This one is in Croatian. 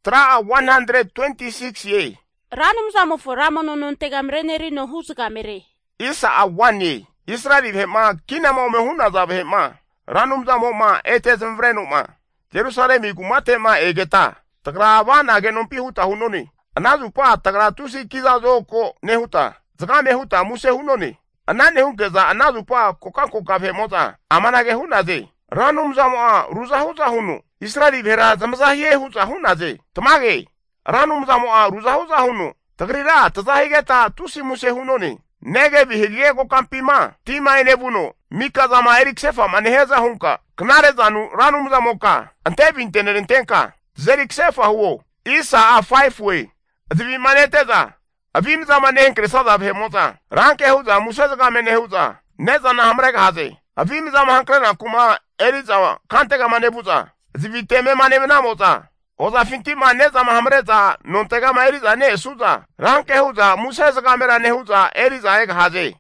Tra 126 ye. Ranum za mo foramo no non tegamreneri no husgamere. Isa a 1 ye. Israel hema kina mo me huna za hema. Ranum za mo ma etes mvrenu ma. Jerusalem ikumate ma egeta. Tagra wana genompi huta hunoni. Anazu pa tagra tusi kiza zoko nehuta. Zaka mehuta muse hunoni. Anane hunkeza anazu pa koka moza. Amanage hunaze. Ranum za mo ruza huza hunu. Israel vera zamzahiye huza hunaze. Tamage. Ranum za mo ruza huza hunu. Tagrira tazahigeta tusi muse hunoni. Nege bihigie ko kampima. Tima enebuno. Mika zama Erik Sefa maneheza hunka. Knare zanu ranum za moka. Ante bintenerentenka. Zerik Sefa huo. Isa a 5 way. Azivi maneteza. Avim za manenkre sada bhemoza. Ranke huza musazaga menehuza. Neza na hamrega haze. Avim za mahankrena kuma eriza kantega manebuza. Azivi teme manemenamoza. Oza finti maneza mahamreza nontega maeriza ne suza. Ranke huza musazaga mera nehuza eriza ega haze.